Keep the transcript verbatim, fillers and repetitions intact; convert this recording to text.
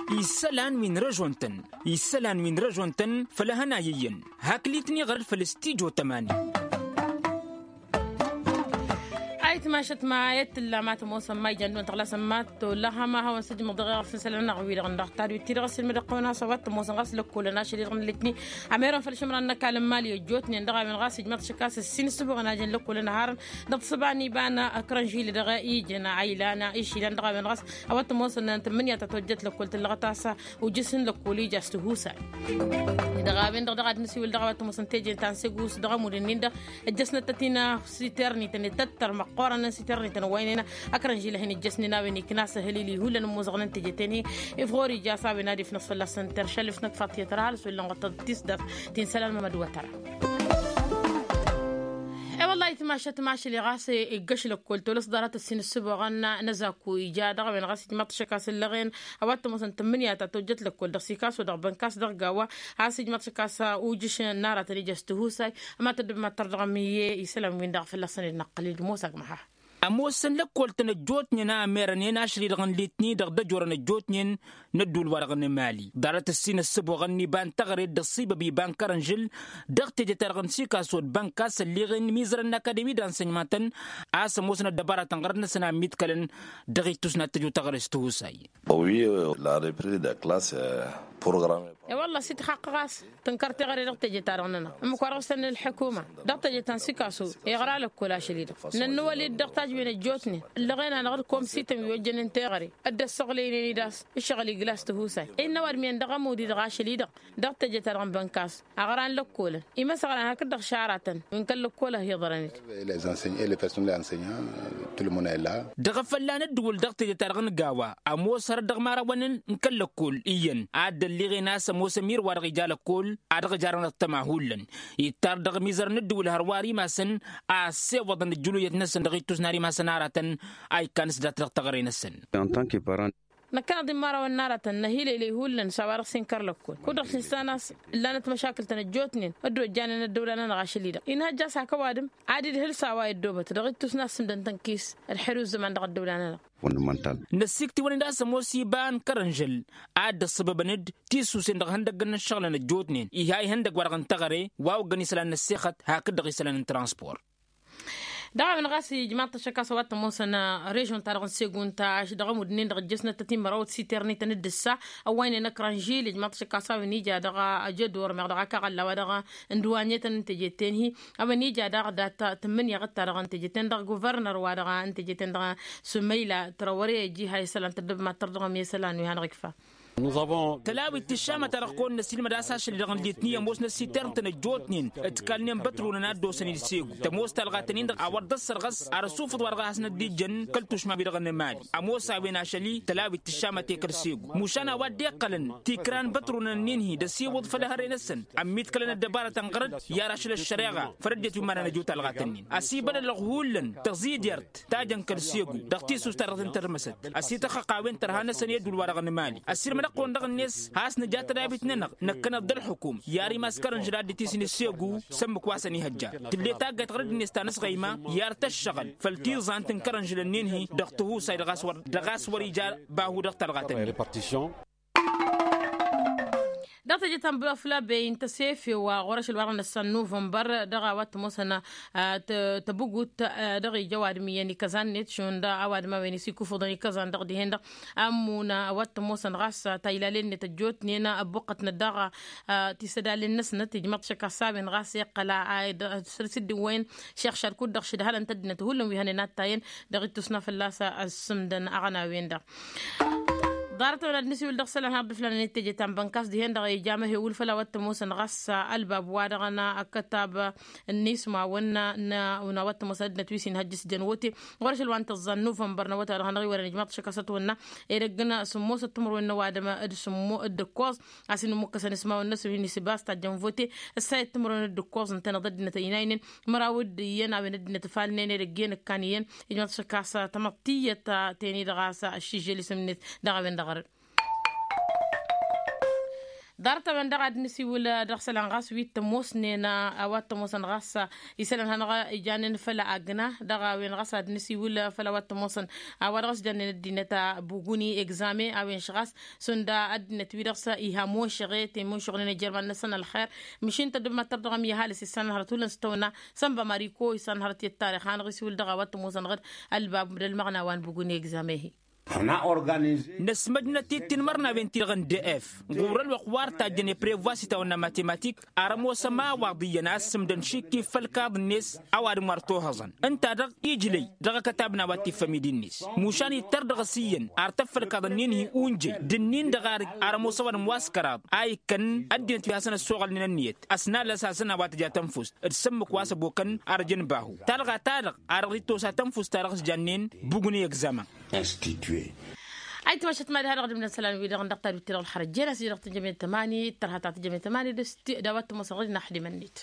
Isălan wi n-režon-tăn isălan wi n-režon-tăn făll-ehăn a iyyăn. Hakli-tăn iɣărăd făll-stijo tămani. Ayǝtmašăt ma i-ad-tǝllam a tămoosăn ma ijan d-wăn tăɣlasăn ma t-olăhăm a hawăn-sǝjmăḍ dăɣ-eɣăf n-isălan n-aɣwi-dăɣ n-dăɣ tadwit-ti-dăɣ ăssiilmăd ăqqăwăn a-s a-wa t-ămoosăn ɣas lăkkolăn ašăl-i-dăɣ n-letni. Ămerăn făll-išǝmran n-ăkall n-imali ăjjootnen dăɣ-a-wen ɣas ijmăḍ šăkkas ǝssin ǝssǝboɣăn a jăn lăkkolăn ăharăn dăɣ-tǝsăba n-iba n-akărănžil dăɣ-ijăn a ilan išilăn dăɣ-a-wen ɣas a-wa t-ămoosăn n-tǝmmǝnǝya ta tojjăt lăkkol tǝllăɣăt a-s ujǝs n-lăkkol ija s-tihusay. Dăɣ-a-wen-dăɣ dăɣ-ad-nǝsiwǝl dăɣ-a-wa t-ămoosăn teje ta n-segu s-dăɣ-ămud-nin-dăɣ ăjjăsnăt-tăt-in siternităn ităttăr măqqoorăn n-siternităn ăwwaynen akărănžil a hin-ǝjjăsnen a-wen ikna s-ehălili hullan ămmoosăɣnen teje-ten-hi. Ifɣor ija a-s a-wen ad-ifnăs fălla-săn terša ǝlǝfnăk faḍt i-tăra hal s-wăllăn ɣăṭṭăḍ tisdaf ti n-isălan mămăd wătăra. E-wălla-hi timašat mašăl-i ɣas iggăš lăkkol tolăs ḍarăt ǝssin ǝssǝboɣăn n-azaku ija dăɣ-a-wen ɣas ijmaḍ-t ašăk a-s ǝllăɣen a-wa t-ămoosăn tǝmmǝnǝya ta tojjăt lăkkol dăɣ-sikaso dăɣ-bănkas dăɣ-gawa. A-s ijmaḍ-t ašăk a-s ujǝš n-aratăn ija s-tihusay. Ămatădd ma tărdăɣăm i-isălan-win-dăɣ fălla-săn ed năqqăl-dd ămoos agmăha. Ămoosăn lăkkol-tăn ăjjootnen a ămerănen ašăl-i-dăɣ n-litni-dăɣ d-ăjorăn ăjjootnen n-ădduul-wa-dăɣ n-emali ḍarăt ǝssin ăssǝboɣăn n-iba n-teɣăre d-ăṣṣibăb iba n-kărănžǝl dăɣ-teje-ta-dăɣ n-sikaso d-bănkas ălleɣen imizărăn n-akademi d-ansănyman-tăn. A-s ămoosăn ăddăbaratăn ɣărăt-năsăn a ămmiḍkălăn dăɣ-ittus n-ad-tăj otăɣăre s-tihusay. La reprise de classe programme. E-wălla s-itxaqq ɣas tǝnkăr teɣăre dăɣ-teje-ta-dăɣ-nănăɣ ǝmmǝk wa dăɣ-s tănn ălḥukuma dăɣ-teje ta n-sikaso. Iɣra lăkkol ašăl-i-dăɣ nănnăwăl-dd dăɣ-tajwen ăjjootnen ǝllăɣen-anăɣ d-komsităn wi ojjănen teɣăre dd-ăssăɣlăynen-dd a-s ǝššăɣǝl igla s-tihusay. Innă ăwadǝm-en dăɣ-ămud-i-dăɣ ašăl-i-dăɣ dăɣ-teje-ta-dăɣ n-bănkas. Aɣran lăkkolăn imăsăɣran hakd-dăɣ šaratăn wi n-kăl-lăkkol a hi-iḍărăn-dd. Dăɣ-efălla n-ăddǝwǝl dăɣ-teje-ta-dăɣ n-gawa ămoos hărăt dăɣ-imărawăn n-kăl-lăkkol iyyăn ad-dd-ălliɣen a-s ămoos ămir wa-dăɣ ija lăkkol a dăɣ-jarăn ăṭṭăma hullan. Ittar dăɣ-imizărăn n-ăddǝwǝl hărwa ar imasăn a ăssewăḍăn ǝjjǝluyăt-năsăn dăɣ-ittus n-ar imasăn aratăn a ikkan s-dat dăɣ-teɣăre-năsăn. Năkkăneḍ imărawăn n-aratăn năhileylăy hullan s-a-wa-dăɣ s-inkăr lăkkol kud-dăɣ s-nǝssan a-s ǝllanăt măšakǝl-tăn ăjjootnen dd-ojjanen ăddăwla-nănăɣ ašăl-i-dăɣ inhăjja a-s hak ăwadǝm ad-idhǝl s-a-wa iddobăt dăɣ-ittus n-assǝmdăn tăn-kis ălḥer i-ǝzzǝman dăɣ-ăddăwla-nănăɣ. Năssiiktǝwăn-dd a-s ămoos iba n-kărănžăl ad-dd-ăṣṣăbăbăn-dd tisusen dăɣ-ihăndăggăn n-ǝššăɣǝlăn ăjjootnen iha ihăndăgg-wa-dăɣ n-teɣăre wa oggăn isălan n-ăssexăt hakd-dăɣ isălan n-transpor. Dăɣ-a-wen ɣas ijmaḍ-t ašăk a-s a-wa t-ămoosăn režon-ta-dăɣ n-segun ta dăɣ-ămudd-nin-dăɣ ǝjjăsnăt tătimărawăt s-iternităn d-ǝssa ăwwaynen ăkrănžil ijmaḍ-t ašăk a-s a-wen ija dăɣ-ajădor meɣ dăɣ-akaɣălla wa dăɣ-ǝndǝwanyătăn n-teje-ten-hi. A-wen ija daɣ dat-tǝmmǝnǝya ɣǝd-ta-dăɣ n-teje-ten-dăɣ guvărnăr wa dăɣ-n teje-ten-dăɣ sumăyla tărăwăre ăjih a isălan tăddăb mad-tărdăɣăm i-isălan wi hanăɣ-ikfa. Tălawit tǝššamăt-ta-dăɣ kăwăn-năsilmăd a-s ašăl-i-dăɣ n-litni ămoosnăt s-itern-tăn ăjjootnen ǝtkalnen bătrunăn ad-dd-osăn-dd segu tămoos talɣaten-in-dăɣ a wăr dd-ăssărɣăs ar ăsufǝḍ wa dăɣ-a hasnăt dd-ijjăn kăl-tušma-wi-dăɣ n-emali. Ămoos a-wen ašăl-i tălawit tǝššamăt i-kăl-segu mušan a-wa dd-iqqălăn tikra n-bătrunăn-nin-hi d-ăsiwǝḍ făll-ehăre-năsăn ămmiḍkălăn ăddăbarătăn ɣărăt i-ar ašăl ăššăreɣa făll-ăddinăt wi imanăn ăjo talɣat-nin-i ăsibălălăɣ hullan tăẓidert ta jăn kăl-segu dăɣ-tissust-ta-dăɣ tăn-tărmăsăt. Ăsităxxăq a-wen tărha-năsăn i-ădduul-wa-dăɣ n-emali ăssiilmădăɣ-kăwăn dăɣ-net has-nǝja tădabit-nănăɣ năkkăneḍ d-ălxukum i-ar imass kărănžăl ad-dd-tisǝn s-segu. S-ǝmmǝk wa săn-ihăjja tǝlle taggayt ɣur-ăddinăt ta n-asɣăyma i-ar tăššăɣǝl făll-tiẓant n-kărănžăl-nin-hi dăɣ-tihusay dăɣ-a-s wăr ija bahu dăɣ-talɣat-nin. Dăɣ-teje ta n-băfla bey n-tăsefew ɣur-ašăl wa dăɣ-năssan nuvănbăr dăɣ-a-wa t-ămoosăn tăbǝgut dăɣ-ija ăwadǝm iyyăn ikăẓan-net šund ăwadǝm a-wen isikufǝḍăn ikăẓan-dăɣ dihen-dăɣ. Ămmuna a-wa t-ămoosăn ɣas taylalen-net ăjjootnen ăbbuqqătnăt daɣ tisădalen-năsnăt ijmăḍ šăkk a-s a-wen ɣas iqqăl a săr-s dd-iwwăyăn šex šarkud-dăɣ šǝdhălăn-t ăddinăt hullan wi hănen ad-tayăn dăɣ-ittus n-a fălla-s ăssǝmdăn aɣăna-wen-dăɣ. Ḍarăt-a-wen ad-nǝsiwǝl dăɣ-isălan har dd-ǝflanen i-teje ta n-bănkas dihen-dăɣ ija amăhewǝl făll-a-wa t-ămoosăn ɣas ălbab wa dăɣ-năkătab n-ismawăn n-a-wa t-ămoosăn ăddinăt wi s-inhăjj s-jăn wote ɣur-ašăl wa n-tăẓẓa n-nuvănbăr n-awătay-wa-dăɣ hanăɣ-iwărăn ijmaḍ-t ašăk a-s ătwănna edăgg n-sǝmmosăt timǝrwen n-ăwadǝm d-sǝmmo d-ǝkkoẓ a-s inǝmmǝkkăsăn ismawăn-năsăn wi n-isǝbas tajjăn vote. Ǝssayăt timǝrwen d-ǝkkoẓ ǝntăneḍ ăddinăt ăynaynen măraw d-iyyăn a-wen ăddinăt ǝfalnen edăgg iyyăn ǝkkan iyyăn. Ijmaḍ-t ašăk a-s tamăḍt tiyyăt teni-dăɣ a-s ăššižžel isǝm-net dăɣ-a-wen-dăɣ ărăd. Ḍarăt-a-wen dăɣ-ad-nǝsiwǝl dăɣ-isălan ɣas wi t-ămoosnen a-wa t-ămoosăn ɣas isălan hanăɣ-ijannen făll-agna dăɣ-a-wen ɣas ad-nǝsiwǝl făll-a-wa t-ămoosăn a-wa dăɣ-s jannen ăddinăt buguni egzame a-wen š-ɣas šund ăddinăt wi dăɣ-s iha mošăɣe temošăɣnen ijărman-năsăn ălxer. Măšin tăddǝb mad-tărdăɣăm i-ăhalǝs issan hărăt hullan s-tăwna sănba mariko issan hărăt i-ăttarix hanăɣ-isiwǝl dăɣ-a-wa t-ămoosăn ɣǝd ălbab d-ălmăɣna wa n-buguni egzame-hi. Năsmăjnăt-dd tinmărnawen-ti-dăɣ n-df ɣur-ălwăqq wa ărtajjăn eprevoa s-itawănna matematik. Ar ămoosăm a-wa ḍiyyăn a ăssǝmdăn šikki făll-kaḍ-net a-wa dăɣ-măr tohăẓăn ǝnta-dăɣ ijlăy dăɣ-akătab n-a-wa t-iffăm idinnis mušan ittăr dăɣ-s iyyăn ar tăffălkaḍ-nin-hi unjăy d-ǝnnin-dăɣ ar ămoosăwăn ămoos kăraḍ a ikkăn ăddinăt wi hasăn-ăssoɣălnen ǝnniyăt ăsnalăs-asăn a-wa tǝja tănfust d-sǝmmǝk wa s-ăbokăn arjăn bahu talɣa-ta-dăɣ a dăɣ-dd-tosa tănfust-ta-dăɣ s-jannen bugni egzamăn. Institue. Ayǝtmašăt mad-ha-dăɣ d-imnăsălan-wi-dăɣ dăɣ-tadut-ti-dăɣ ălxărăt jenas-i dăɣ-tǝjămel tămani d-tărha ta tǝjămel tămani d-ăsti d-a-wa t-ămoosăɣ d-inaxdimăn-net.